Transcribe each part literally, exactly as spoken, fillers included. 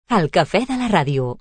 El cafè de la ràdio.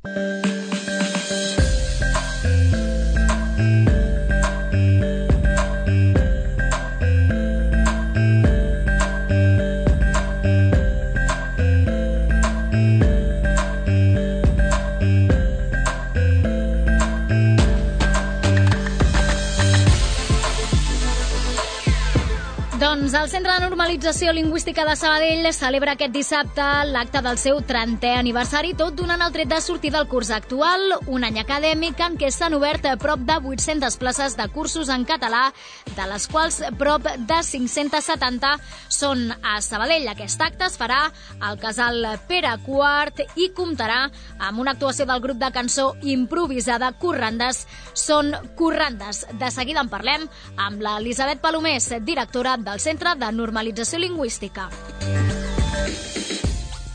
Doncs el Centre de Normalització Lingüística de Sabadell celebra aquest dissabte l'acte del seu trentè aniversari, tot donant el tret de sortida al curs actual, un any acadèmic en què s'han obert a prop de vuit-centes places de cursos en català, de les quals prop de cinc-centes setanta són a Sabadell. Aquest acte es farà al Casal Pere quart i comptarà amb una actuació del grup de cançó improvisada Corrandes són Corrandes. De seguida en parlem amb l'Elisabet Palomés, directora del Centre de Normalització Lingüística.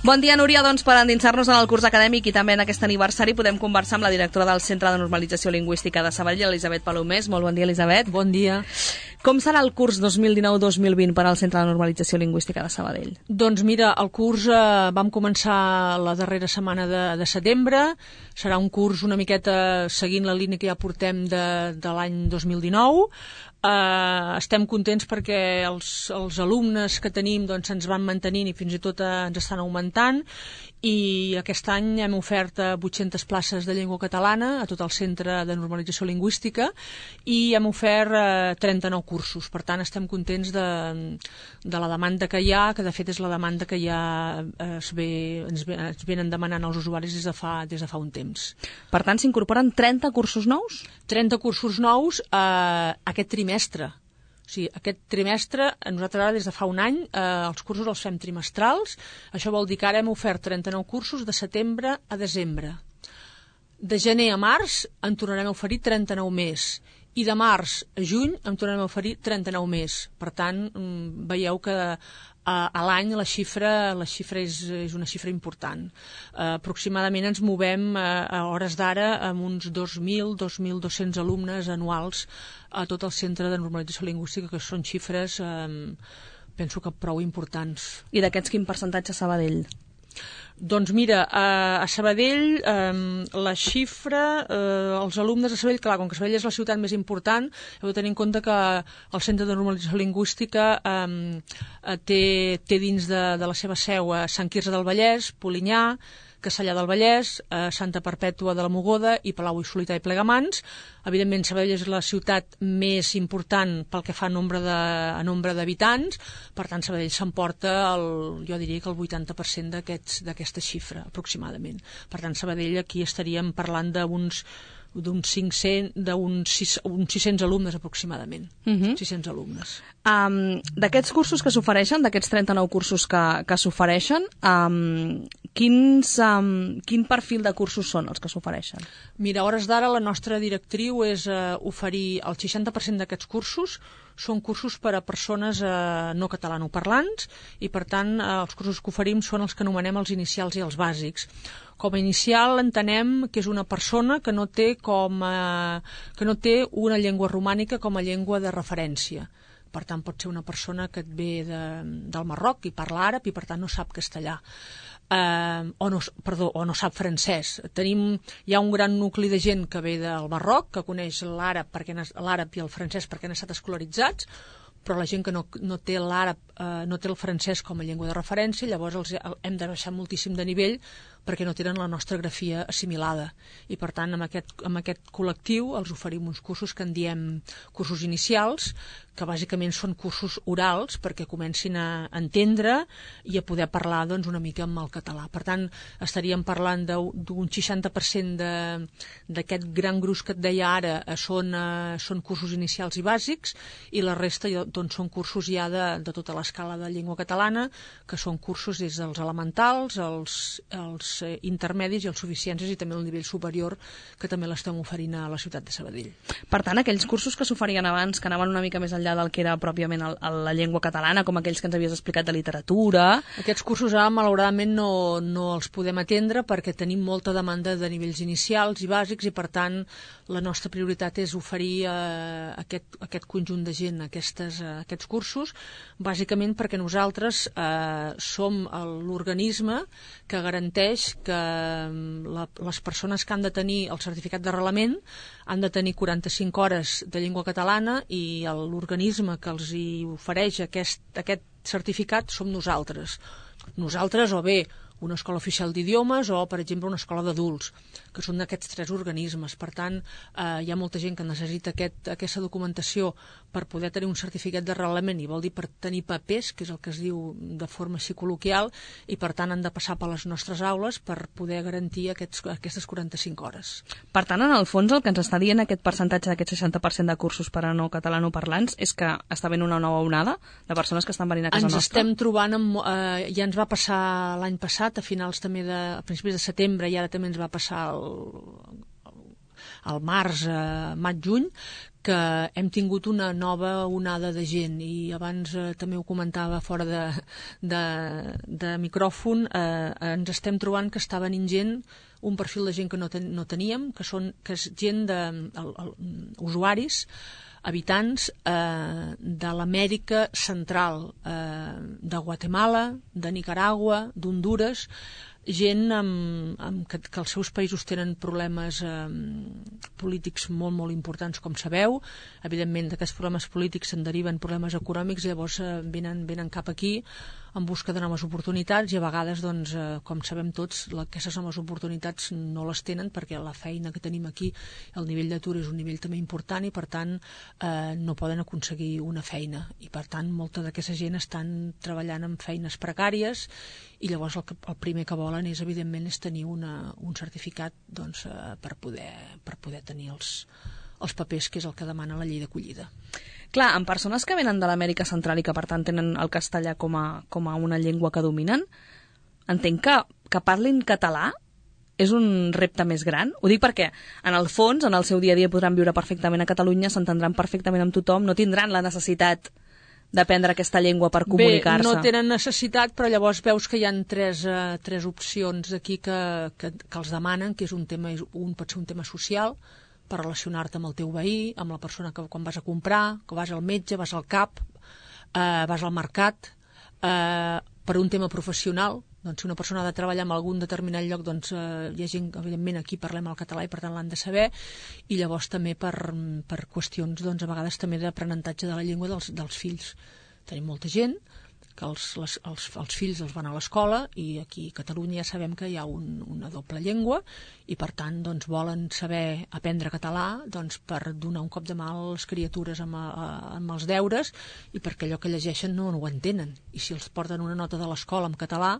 Bon dia, Núria. Doncs per endinsar-nos en el curs acadèmic i també en aquest aniversari podem conversar amb la directora del Centre de Normalització Lingüística de Sabadell, Elisabet Palomés. Molt bon dia, Elisabet. Bon dia. Com serà el curs dos mil dinou dos mil vint per al Centre de Normalització Lingüística de Sabadell? Doncs mira, el curs eh, vam començar la darrera setmana de, de setembre. Serà un curs una miqueta seguint la línia que ja portem de, de l'any dos mil dinou. Uh, estem contents perquè els, els alumnes que tenim doncs, ens van mantenint i fins i tot uh, ens estan augmentant, i aquest any hem ofert vuit-centes places de llengua catalana a tot el Centre de Normalització Lingüística i hem ofert uh, trenta-nou cursos. Per tant, estem contents de, de la demanda que hi ha, que de fet és la demanda que ja es, ve, ens, ve, ens venen demanant els usuaris des de fa, des de fa un temps. Per tant, s'incorporen trenta cursos nous? trenta cursos nous uh, aquest trimestre. O sigui, aquest trimestre, nosaltres ara des de fa un any, eh, els cursos els fem trimestrals. Això vol dir que ara hem ofert trenta-nou cursos de setembre a desembre. De gener a març en tornarem a oferir trenta-nou més. I de març a juny en tornarem a oferir trenta-nou més. Per tant, veieu que a, a l'any la xifra, la xifra és, és una xifra important. Uh, aproximadament ens movem uh, a hores d'ara amb uns dos mil, dos mil dos-cents alumnes anuals a tot el Centre de Normalització Lingüística, que són xifres, um, penso que prou importants. I d'aquests quin percentatge a Sabadell? Doncs mira, a Sabadell eh, la xifra, eh, els alumnes de Sabadell, clar, com que Sabadell és la ciutat més important, heu de tenir en compte que el Centre de Normalització Lingüística eh, té, té dins de, de la seva seu a Sant Quirze del Vallès, Polinyà, Castellar del Vallès, eh, Santa Perpètua de la Mogoda i Palau i Solità i Plegamans. Evidentment, Sabadell és la ciutat més important pel que fa a nombre de, a nombre d'habitants, per tant, Sabadell s'emporta, el, jo diria que el vuitanta per cent d'aquesta xifra, aproximadament. Per tant, Sabadell aquí estaríem parlant d'uns d'uns cinc-cents, d'uns sis-cents alumnes aproximadament. Uh-huh. sis-cents alumnes. Um, d'aquests cursos que s'ofereixen, d'aquests trenta-nou cursos que, que s'ofereixen, um, quins, um, quin perfil de cursos són els que s'ofereixen? Mira, a hores d'ara la nostra directriu és uh, oferir el seixanta per cent d'aquests cursos són cursos per a persones eh, no catalanoparlants i, per tant, eh, els cursos que oferim són els que anomenem els inicials i els bàsics. Com a inicial entenem que és una persona que no té, com, eh, que no té una llengua romànica com a llengua de referència. Per tant, pot ser una persona que et ve de, del Marroc i parla àrab i, per tant, no sap castellà. Uh, o, no, perdó, o no sap francès. Tenim, hi ha un gran nucli de gent que ve del Marroc, que coneix l'àrab perquè l'àrab i el francès perquè han estat escolaritzats, però la gent que no, no té l'àrab, eh, no té el francès com a llengua de referència, llavors els hem de baixar moltíssim de nivell perquè no tenen la nostra grafia assimilada. I, per tant, amb aquest, amb aquest col·lectiu els oferim uns cursos que en diem cursos inicials, que bàsicament són cursos orals perquè comencin a entendre i a poder parlar doncs, una mica amb el català. Per tant, estaríem parlant d'un seixanta per cent d'aquest gran gruix que et deia ara eh, són, eh, són cursos inicials i bàsics, i la resta doncs, són cursos ja de, de tota l'escala de llengua catalana, que són cursos des dels elementals, els, els eh, intermedis i els suficients, i també el nivell superior, que també l'estem oferint a la ciutat de Sabadell. Per tant, aquells cursos que s'oferien abans, que anaven una mica més enllà del que era pròpiament el, el, la llengua catalana, com aquells que ens havies explicat de literatura... Aquests cursos ara, malauradament, no, no els podem atendre perquè tenim molta demanda de nivells inicials i bàsics, i, per tant, la nostra prioritat és oferir eh, aquest, aquest conjunt de gent aquestes, eh, aquests cursos, bàsicament perquè nosaltres eh, som l'organisme que garanteix estableix que la, les persones que han de tenir el certificat d'arrelament han de tenir quaranta-cinc hores de llengua catalana i l'organisme que els hi ofereix aquest, aquest certificat som nosaltres. Nosaltres o bé una escola oficial d'idiomes o, per exemple, una escola d'adults, que són d'aquests tres organismes. Per tant, eh, hi ha molta gent que necessita aquest, aquesta documentació per poder tenir un certificat d'arrelament, i vol dir per tenir papers, que és el que es diu de forma així col·loquial, i per tant han de passar per les nostres aules per poder garantir aquests, aquestes quaranta-cinc hores. Per tant, en el fons, el que ens està dient aquest percentatge d'aquest seixanta per cent de cursos per a no catalanoparlants és que està venint una nova onada de persones que estan venint a casa ens nostra? Ens estem trobant, amb, eh, ja ens va passar l'any passat, a finals també de, a principis de setembre, i ara també ens va passar el, el març, eh, maig-juny, que hem tingut una nova onada de gent, i abans eh, també ho comentava fora de, de, de micròfon, eh, ens estem trobant que està venint gent, un perfil de gent que no, ten, no teníem, que, són, que és gent de el, el, usuaris, habitants eh, de l'Amèrica Central, eh, de Guatemala, de Nicaragua, d'Hondures, gent amb, amb que, que els seus països tenen problemes eh, polítics molt, molt importants, com sabeu. Evidentment, d'aquests problemes polítics se'n deriven problemes econòmics, llavors eh, venen, venen cap aquí en busca de noves oportunitats, i a vegades, doncs, eh, com sabem tots, la, aquestes noves oportunitats no les tenen perquè la feina que tenim aquí, el nivell d'atur és un nivell també important, i per tant eh, no poden aconseguir una feina, i per tant molta d'aquesta gent estan treballant en feines precàries, i llavors el, que, el primer que volen és, evidentment, és tenir una, un certificat, doncs, eh, per, poder, per poder tenir els, els papers, que és el que demana la llei d'acollida. Clar, en persones que venen de l'Amèrica Central i que, per tant, tenen el castellà com a, com a una llengua que dominen, entenc que, que parlin català és un repte més gran. Ho dic perquè, en el fons, en el seu dia a dia podran viure perfectament a Catalunya, s'entendran perfectament amb tothom, no tindran la necessitat d'aprendre aquesta llengua per comunicar-se. Bé, no tenen necessitat, però llavors veus que hi ha tres, uh, tres opcions aquí que, que, que els demanen, que és un tema, un pot ser un tema social, per relacionar-te amb el teu veí, amb la persona que quan vas a comprar, que vas al metge, vas al cap, eh, vas al mercat, eh, per un tema professional, doncs si una persona ha de treballar en algun determinat lloc, doncs eh, hi ha gent, evidentment aquí parlem el català i per tant l'han de saber, i llavors també per, per qüestions, doncs a vegades també d'aprenentatge de la llengua dels, dels fills. Tenim molta gent que els, les, els, els fills els van a l'escola, i aquí a Catalunya ja sabem que hi ha un, una doble llengua, i per tant doncs, volen saber aprendre català, doncs, per donar un cop de mà a les criatures amb, a, amb els deures, i perquè allò que llegeixen no, no ho entenen, i si els porten una nota de l'escola en català,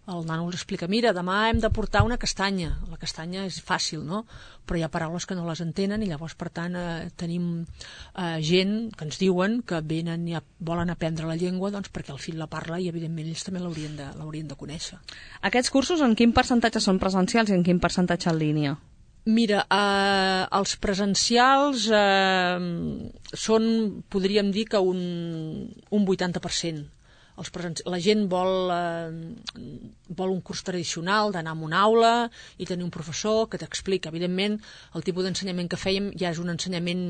el nano els explica, mira, demà hem de portar una castanya. La castanya és fàcil, no? Però hi ha paraules que no les entenen, i llavors, per tant, eh, tenim eh, gent que ens diuen que venen i volen aprendre la llengua, doncs perquè el fill la parla, i evidentment ells també l'haurien de, l'haurien de conèixer. Aquests cursos en quin percentatge són presencials i en quin percentatge en línia? Mira, eh, els presencials eh, són, podríem dir que un, un vuitanta per cent. Els presents... La gent vol, eh, vol un curs tradicional d'anar a una aula i tenir un professor que t'explica. Evidentment, el tipus d'ensenyament que fèiem ja és un ensenyament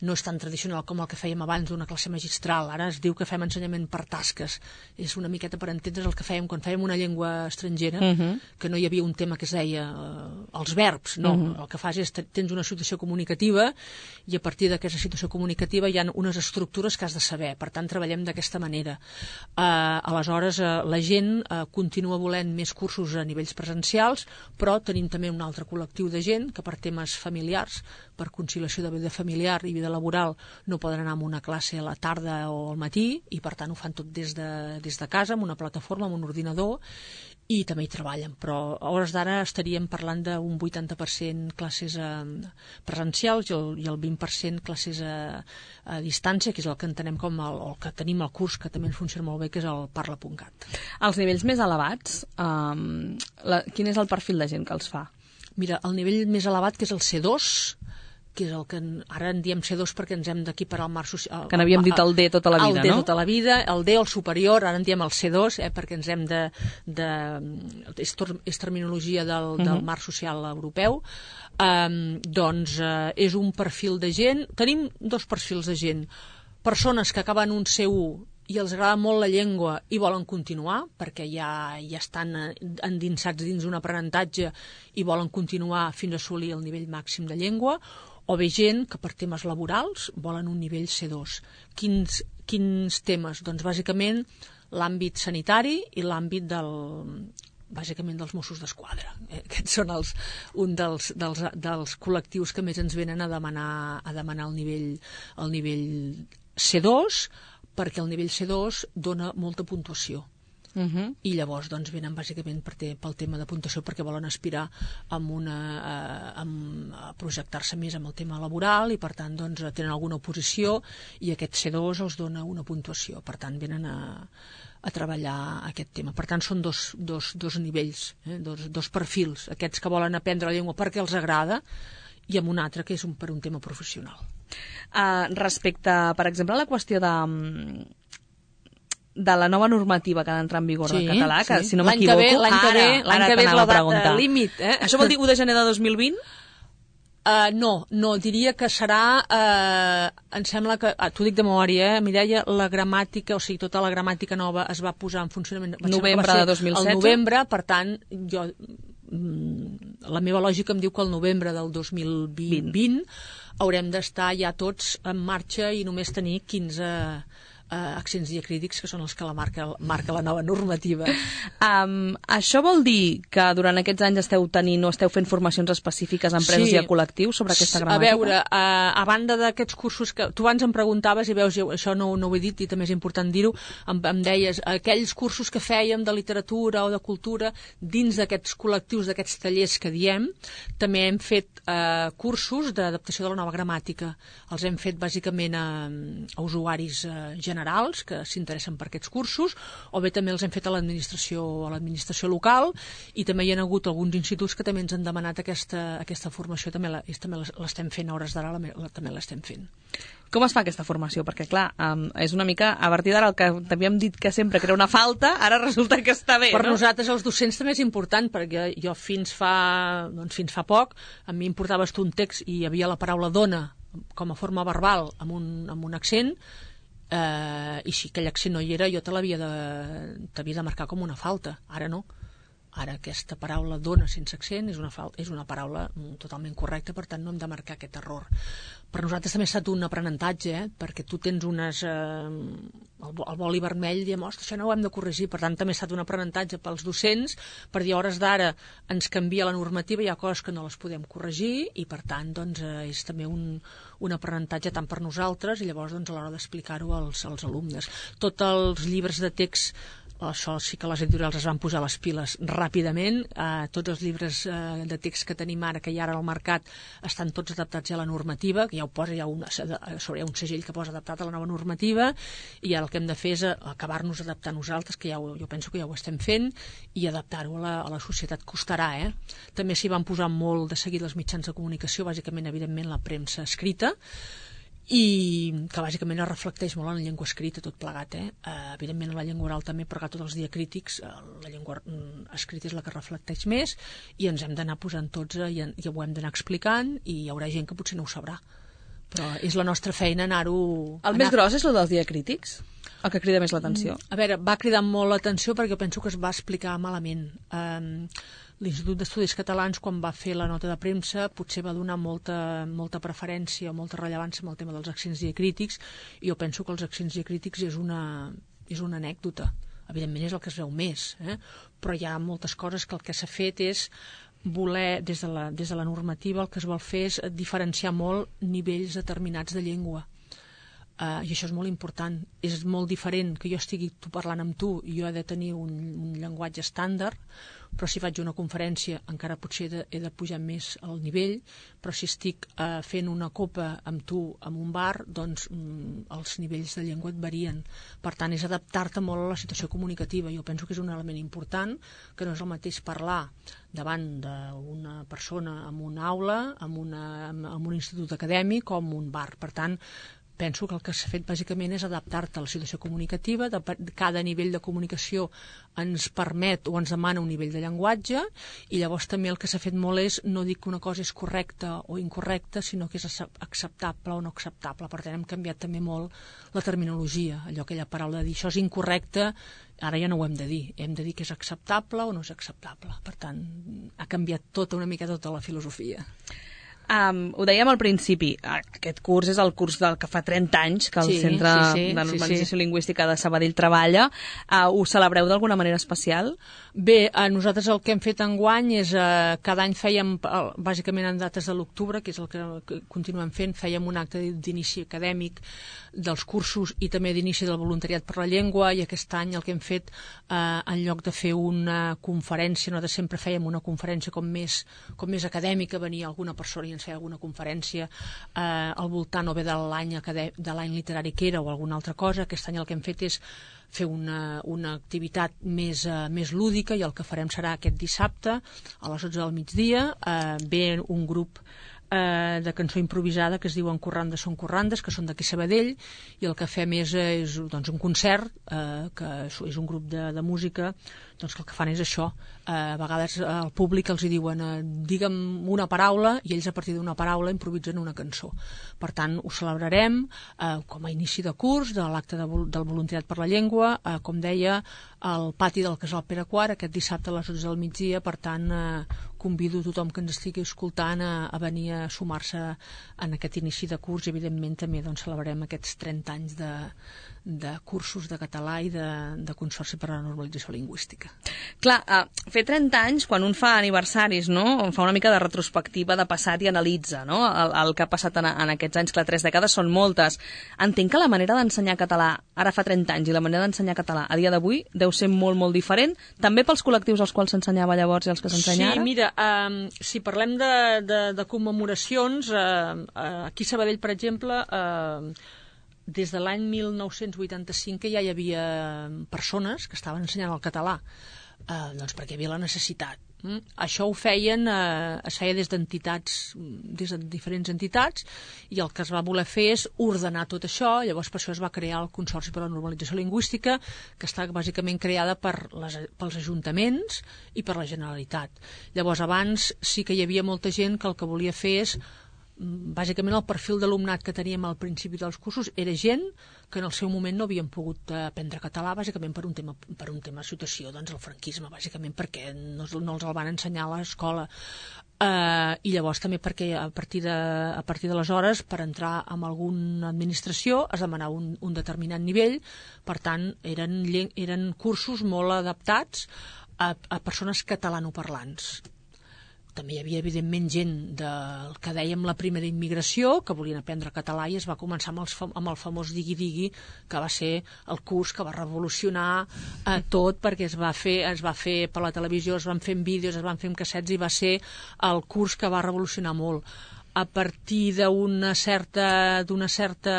no és tan tradicional com el que fèiem abans d'una classe magistral. Ara es diu que fem ensenyament per tasques. És una miqueta per entendre's el que fèiem quan fèiem una llengua estrangera, uh-huh. que no hi havia un tema que es deia eh, els verbs, no. Uh-huh. El que fas és tens una situació comunicativa, i a partir d'aquesta situació comunicativa hi ha unes estructures que has de saber. Per tant, treballem d'aquesta manera. Uh, aleshores uh, la gent uh, continua volent més cursos a nivells presencials, però tenim també un altre col·lectiu de gent que per temes familiars, per conciliació de vida familiar i vida laboral, no poden anar a una classe a la tarda o al matí, i per tant ho fan tot des de, des de casa, amb una plataforma, amb un ordinador, i també hi treballen, però a hores d'ara estaríem parlant d'un vuitanta per cent classes eh, presencials i el, i el vint per cent classes a, a distància, que és el que entenem com el, el que tenim al curs, que també ens funciona molt bé, que és el parla punt cat. Els nivells més elevats, um, la, quin és el perfil de gent que els fa? Mira, el nivell més elevat, que és el C dos, que és el que ara en diem C dos perquè ens hem d'equiparar al marc social. Que n'havíem dit el D tota la vida, el D no? El D tota la vida, el D el superior, ara en diem el C dos, eh, perquè ens hem de... de és, és terminologia del, uh-huh. del marc social europeu. Um, doncs uh, és un perfil de gent... Tenim dos perfils de gent. Persones que acaben un C u i els agrada molt la llengua i volen continuar, perquè ja, ja estan endinsats dins d'un aprenentatge i volen continuar fins a assolir el nivell màxim de llengua, o bé gent que per temes laborals volen un nivell C dos. Quins, quins temes? Doncs bàsicament l'àmbit sanitari i l'àmbit del, bàsicament dels Mossos d'Esquadra. Eh? Aquests són els, un dels, dels, dels col·lectius que més ens venen a demanar, a demanar el nivell, el nivell C dos, perquè el nivell C dos dona molta puntuació. Uh-huh. I llavors doncs, venen bàsicament per te, pel tema de puntuació, perquè volen aspirar amb una, a, a projectar-se més amb el tema laboral i per tant doncs, tenen alguna oposició i aquest C dos els dona una puntuació, per tant venen a, a treballar aquest tema. Per tant són dos, dos, dos nivells, eh? dos, dos perfils, aquests que volen aprendre la llengua perquè els agrada i amb un altre que és un, per un tema professional. Uh, respecte, per exemple, a la qüestió de, de la nova normativa que ha d'entrar en vigor sí, del català, que sí. si no m'equivoco, l'any que ve, l'any que ve és la data límit. Eh? Això vol dir u de gener de dos mil vint? Uh, no, no, diria que serà, uh, em sembla que, ah, t'ho dic de memòria, eh, Mireia, la gramàtica, o sigui, tota la gramàtica nova es va posar en funcionament... Novembre de dos mil setze? El novembre, per tant, jo... la meva lògica em diu que el novembre del dos mil vint haurem d'estar ja tots en marxa i només tenir quinze uh, accents diacrítics, que són els que la marca, marca la nova normativa. Um, això vol dir que durant aquests anys esteu tenint o esteu fent formacions específiques a empreses sí. i a col·lectius sobre aquesta gramàtica? A veure, uh, a banda d'aquests cursos que tu abans em preguntaves i veus, jo, això no, no ho he dit i també és important dir-ho, em, em deies, aquells cursos que fèiem de literatura o de cultura dins d'aquests col·lectius, d'aquests tallers que diem, també hem fet uh, cursos d'adaptació de la nova gramàtica. Els hem fet bàsicament a, a usuaris uh, generals que s'interessen per aquests cursos, o bé també els hem fet a l'administració a l'administració local, i també hi ha hagut alguns instituts que també ens han demanat aquesta, aquesta formació, també la, també l'estem fent a hores d'ara, la, la, també l'estem fent. Com es fa aquesta formació? Perquè, clar, um, és una mica, a partir d'ara, el que t'havíem dit que sempre que era una falta, ara resulta que està bé, per no? Nosaltres, els docents, també és important, perquè jo fins fa, doncs, fins fa poc, a mi em portaves tu un text i hi havia la paraula dona com a forma verbal amb un, amb un accent, eh, i si aquell accent no hi era, jo te l'havia de, t'havia de marcar com una falta. Ara no. Ara aquesta paraula dona sense accent és una, és una paraula totalment correcta, per tant no hem de marcar aquest error. Per nosaltres també ha estat un aprenentatge, eh? Perquè tu tens unes... Eh, el, el boli vermell i diem, ostres, això no ho hem de corregir. Per tant també ha estat un aprenentatge pels docents, per dir, a hores d'ara ens canvia la normativa, hi ha coses que no les podem corregir i per tant doncs, eh, és també un, un aprenentatge tant per nosaltres i llavors doncs, a l'hora d'explicar-ho als, als alumnes. Tots els llibres de text, això sí que les editorials es van posar les piles ràpidament, eh, tots els llibres eh, de text que tenim ara, que hi ha ara al mercat, estan tots adaptats ja a la normativa, que ja ho posa, hi ha, una, sobre, hi ha un segell que posa adaptat a la nova normativa, i el que hem de fer és acabar-nos adaptant nosaltres, que ja ho, jo penso que ja ho estem fent, i adaptar-ho a la, a la societat. Costarà, eh? També s'hi van posar molt de seguit els mitjans de comunicació, bàsicament, evidentment, la premsa escrita, i que bàsicament es reflecteix molt en la llengua escrita, tot plegat, eh? Uh, evidentment en la llengua oral també, però tots els diacrítics, uh, la llengua uh, escrita és la que reflecteix més, i ens hem d'anar posant tots uh, i, i ho hem d'anar explicant, i hi haurà gent que potser no ho sabrà, però és la nostra feina anar-ho... El anar... més gros és el dels diacrítics? El que crida més l'atenció? A veure, va cridar molt l'atenció perquè penso que es va explicar malament. Um, L'Institut d'Estudis Catalans, quan va fer la nota de premsa, potser va donar molta, molta preferència o molta rellevància amb el tema dels accents diacrítics, i jo penso que els accents diacrítics és una, és una anècdota. Evidentment és el que es veu més, eh? Però hi ha moltes coses que el que s'ha fet és voler, des de, la, des de la normativa, el que es vol fer és diferenciar molt nivells determinats de llengua. Uh, i això és molt important. És molt diferent que jo estigui tu parlant amb tu i jo he de tenir un, un llenguatge estàndard, però si faig una conferència encara potser he de, he de pujar més al nivell, però si estic uh, fent una copa amb tu en un bar, doncs mm, els nivells de llengua et varien. Per tant, és adaptar-te molt a la situació comunicativa. Jo penso que és un element important, que no és el mateix parlar davant d'una persona en una aula, en, una, en un institut acadèmic o en un bar. Per tant, penso que el que s'ha fet bàsicament és adaptar-te a la situació comunicativa, de, cada nivell de comunicació ens permet o ens demana un nivell de llenguatge, i llavors també el que s'ha fet molt és no dir que una cosa és correcta o incorrecta, sinó que és acceptable o no acceptable. Per tant, hem canviat també molt la terminologia, allò, aquella paraula de dir això és incorrecte, ara ja no ho hem de dir, hem de dir que és acceptable o no és acceptable. Per tant, ha canviat tota una mica tota la filosofia. Um, ho dèiem al principi, aquest curs és el curs del que fa trenta anys que el sí, Centre sí, sí, de Normalització sí, sí. Lingüística de Sabadell treballa. Uh, ho celebreu d'alguna manera especial? Bé, a nosaltres el que hem fet enguany és, eh, cada any fèiem, bàsicament en dates de l'octubre, que és el que, que continuem fent, fèiem un acte d'inici acadèmic dels cursos i també d'inici del voluntariat per la llengua, i aquest any el que hem fet, eh, en lloc de fer una conferència, nosaltres sempre fèiem una conferència com més, com més acadèmica, venia alguna persona i ens feia alguna conferència eh, al voltant o bé de l'any de l'any literari que era o alguna altra cosa. Aquest any el que hem fet és fer una, una activitat més, uh, més lúdica, i el que farem serà aquest dissabte a les dotze del migdia. Uh, ve un grup uh, de cançó improvisada que es diuen Corrandes són Corrandes, que són d'aquí Sabadell, i el que fem és, és doncs, un concert, uh, que és un grup de, de música, doncs que el que fan és això. Uh, a vegades al públic els hi diuen uh, digue'm una paraula, i ells a partir d'una paraula improvisen una cançó. Per tant, ho celebrarem uh, com a inici de curs de l'acte de, del voluntariat per la llengua, uh, com deia, al pati del Casal Pere quart, aquest dissabte a les dotze del migdia. Per tant, uh, convido tothom que ens estigui escoltant a, a venir a sumar-se en aquest inici de curs, i evidentment també doncs, celebrem aquests trenta anys de, de cursos de català i de, de Consorci per a la Normalització Lingüística. Clar, uh, fer trenta anys, quan un fa aniversaris, no? Fa una mica de retrospectiva de passat i analitza, no? el, el que ha passat en, en aquests anys, que tres dècades són moltes. Entenc que la manera d'ensenyar català ara fa trenta anys i la manera d'ensenyar català a dia d'avui deu ser molt, molt diferent, també pels col·lectius als quals s'ensenyava llavors i als que s'ensenya ara? Sí, mira, um, si parlem de, de, de commemoracions, uh, uh, aquí a Sabadell, per exemple, uh, des de l'any mil nou-cents vuitanta-cinc que ja hi havia persones que estaven ensenyant el català, eh, doncs perquè hi havia la necessitat. Mm? Això ho feien, eh, es feia des d'entitats, des de diferents entitats, i el que es va voler fer és ordenar tot això. Llavors per això es va crear el Consorci per a la Normalització Lingüística, que està bàsicament creada per les, pels ajuntaments i per la Generalitat. Llavors abans sí que hi havia molta gent que el que volia fer és, bàsicament el perfil d'alumnat que teníem al principi dels cursos era gent que en el seu moment no havien pogut aprendre català, bàsicament per un tema, per un tema de situació, doncs el franquisme, bàsicament perquè no, no els el van ensenyar a l'escola. Uh, i llavors també perquè a partir de, a partir d'aleshores, per entrar en alguna administració es demanava un, un determinat nivell. Per tant, eren, eren cursos molt adaptats a, a persones catalanoparlants. També hi havia, evidentment, gent del que dèiem la primera immigració, que volien aprendre català, i es va començar amb, els, amb el famós digui-digui, que va ser el curs que va revolucionar eh, tot, perquè es va fer es va fer per la televisió, es van fer en vídeos, es van fer en cassets, i va ser el curs que va revolucionar molt. A partir d'una certa, d'una certa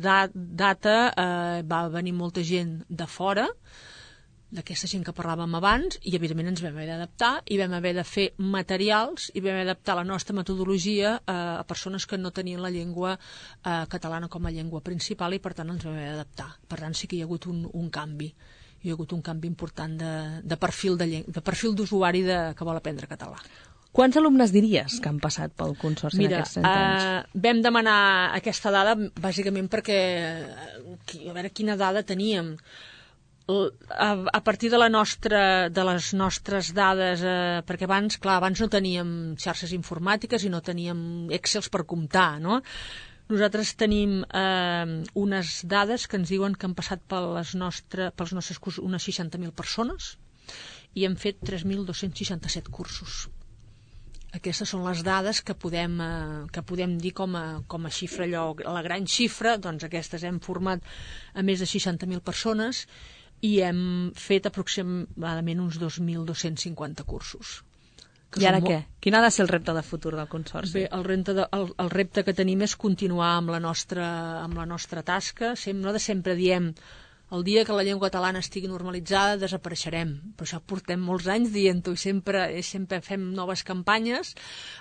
data eh, va venir molta gent de fora, d'aquesta gent que parlàvem abans, i evidentment ens vam haver d'adaptar, i vam haver de fer materials, i vam haver d'adaptar la nostra metodologia eh, a persones que no tenien la llengua eh, catalana com a llengua principal, i per tant ens vam haver d'adaptar. Per tant sí que hi ha hagut un, un canvi, hi ha hagut un canvi important de, de perfil de, de perfil d'usuari de, que vol aprendre català. Quants alumnes diries que han passat pel Consorci en aquests trenta anys? Uh, vam demanar aquesta dada bàsicament perquè a veure quina dada teníem. A, a partir de, la nostra, de les nostres dades, eh, perquè abans, clar, abans no teníem xarxes informàtiques i no teníem Excels per comptar, no? Nosaltres tenim eh, unes dades que ens diuen que han passat per les nostre, pels nostres cursos unes seixanta mil persones i hem fet tres mil dos-cents seixanta-set cursos. Aquestes són les dades que podem, eh, que podem dir com a, com a xifra, allò, la gran xifra. Doncs aquestes hem format a més de seixanta mil persones i hem fet aproximadament uns dos mil dos-cents cinquanta cursos. I ara què? Quin ha de ser el repte de futur del Consorci? Bé, el repte, de, el, el repte que tenim és continuar amb la nostra, amb la nostra tasca. Sem, nosaltres sempre diem el dia que la llengua catalana estigui normalitzada desapareixerem, però això portem molts anys dient-ho i sempre, sempre fem noves campanyes.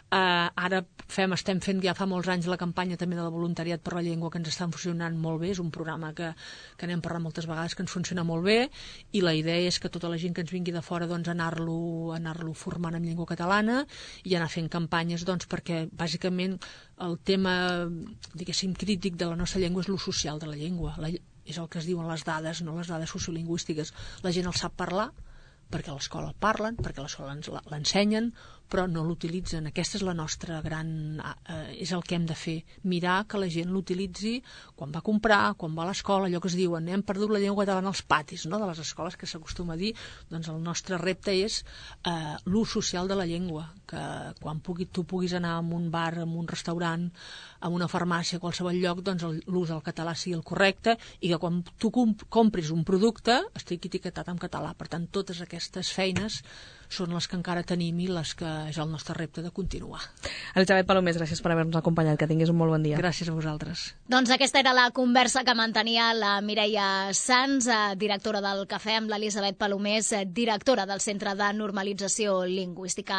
Uh, ara fem, estem fent ja fa molts anys la campanya també de la voluntariat per la llengua, que ens està funcionant molt bé, és un programa que, que n'hem parlat moltes vegades, que ens funciona molt bé, i la idea és que tota la gent que ens vingui de fora doncs, anar-lo anar-lo formant en llengua catalana i anar fent campanyes doncs, perquè bàsicament el tema, diguéssim, crític de la nostra llengua és l'ús social de la llengua. La, és el que es diuen les dades, no les dades sociolingüístiques. La gent el sap parlar perquè a l'escola el parlen, perquè a l'escola l'ensenyen, però no l'utilitzen. Aquesta és la nostra gran... Eh, és el que hem de fer, mirar que la gent l'utilitzi quan va a comprar, quan va a l'escola, allò que es diuen, hem perdut la llengua catalana als patis, no?, de les escoles, que s'acostuma a dir. Doncs el nostre repte és eh, l'ús social de la llengua, que quan pugui, tu puguis anar a un bar, a un restaurant, a una farmàcia, a qualsevol lloc, doncs l'ús del català sigui el correcte, i que quan tu comp compris un producte estigui etiquetat en català. Per tant, totes aquestes feines són les que encara tenim i les que és el nostre repte de continuar. Elisabet Palomés, gràcies per haver-nos acompanyat. Que tinguis un molt bon dia. Gràcies a vosaltres. Doncs aquesta era la conversa que mantenia la Mireia Sans, directora del Cafè, amb l'Elisabet Palomés, directora del Centre de Normalització Lingüística.